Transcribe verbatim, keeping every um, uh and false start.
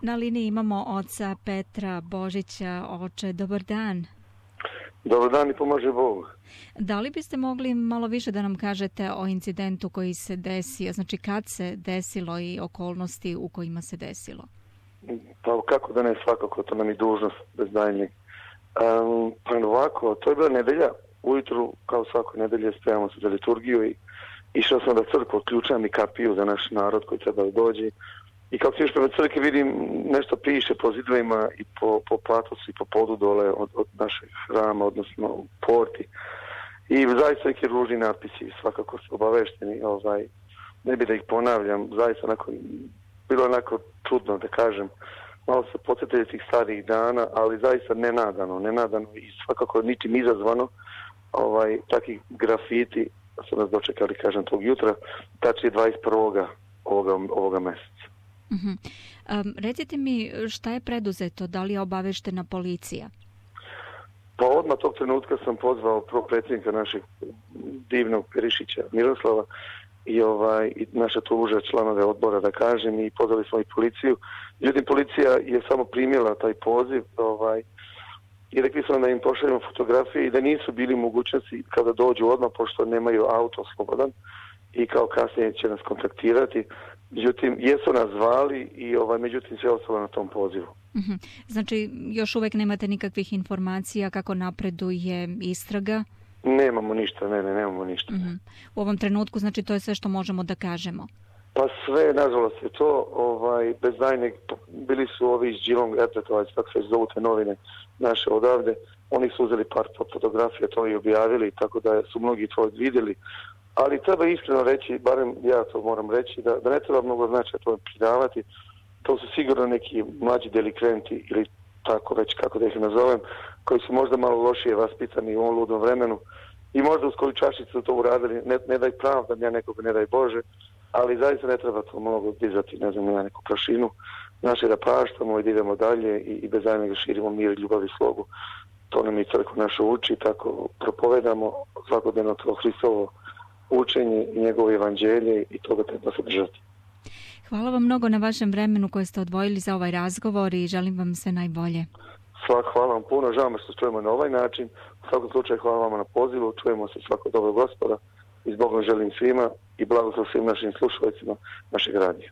Na liniji imamo oca Petra Božića. Oče, dobar dan. Dobar dan i pomaže Bog. Da li biste mogli malo više da nam kažete o incidentu koji se desio, znači kad se desilo i okolnosti u kojima se desilo? Pa kako da ne, svakako, to nam je dužnost bez daljnjeg. Um, pa ovako, to je bila nedelja, ujutru kao svakoj nedelje spremamo se za liturgiju i išao sam da crkvu, otključam i kapiju za naš narod koji treba da dođe. I kako se još prema crkvi vidim, nešto piše po zidovima i po, po patosu i po podu dole od, od našeg hrama, odnosno u porti. I zaista neki ružni napisi, svakako su obavešteni, ovaj, ne bi da ih ponavljam, zaista onako, bilo onako čudno da kažem, malo se podsjetili tih starih dana, ali zaista nenadano, nenadano i svakako ničim izazvano, ovaj, takih grafiti su nas dočekali, kažem, tog jutra, tačnije dvadeset prvog ovoga, ovoga meseca. Uh-huh. Um, recite mi šta je preduzeto, da li je obaveštena policija? Pa odmah tog trenutka sam pozvao prvo predsjednika našeg divnog Perišića Miroslava i, ovaj, i naša tuža članove odbora da kažem i pozvali smo i policiju. Međutim, policija je samo primila taj poziv ovaj, i rekli smo da im pošaljemo fotografije i da nisu bili u mogućnosti kada dođu odmah pošto nemaju auto slobodan i kao kasnije će nas kontaktirati. Međutim, jesu nas zvali i ovaj, međutim sve ostalo na tom pozivu. Uh-huh. Znači, još uvek nemate nikakvih informacija kako napreduje istraga? Nemamo ništa, ne, ne, nemamo ništa. Uh-huh. U ovom trenutku, znači, to je sve što možemo da kažemo? Pa sve, nažalost, je to, ovaj, bez daljnjeg, bili su ovi iz Geelong Airpletovac, tako se zovu te novine naše odavde, oni su uzeli par fotografija, to i objavili, tako da su mnogi to vidjeli. Ali treba iskreno reći, barem ja to moram reći, da, da ne treba mnogo značaja to pridavati. To su sigurno neki mlađi delikventi ili tako već kako da ih nazovem, koji su možda malo lošije vaspitani u ovom ludnom vremenu i možda uz koju čašicu to uradili, ne, ne daj pravda, ja nekoga ne daj Bože, ali zaista ne treba to mnogo dizati, ne znam, na neku prašinu. Naše da praštamo i da idemo dalje i, i bez daljnjega širimo mir, ljubav i slogu. To nam i crkva naša uči, tako propovedamo svakodnevno to Hristovo učenje i njegovo evanđelje i toga treba se držati. Hvala vam mnogo na vašem vremenu koje ste odvojili za ovaj razgovor i želim vam sve najbolje. Svak, hvala vam puno, žao me što čujemo na ovaj način. U svakom slučaju hvala vam na pozivu, čujemo se svako dobro Gospoda i s Bogom želim svima i blagoslov svim našim slušalicima našeg radija.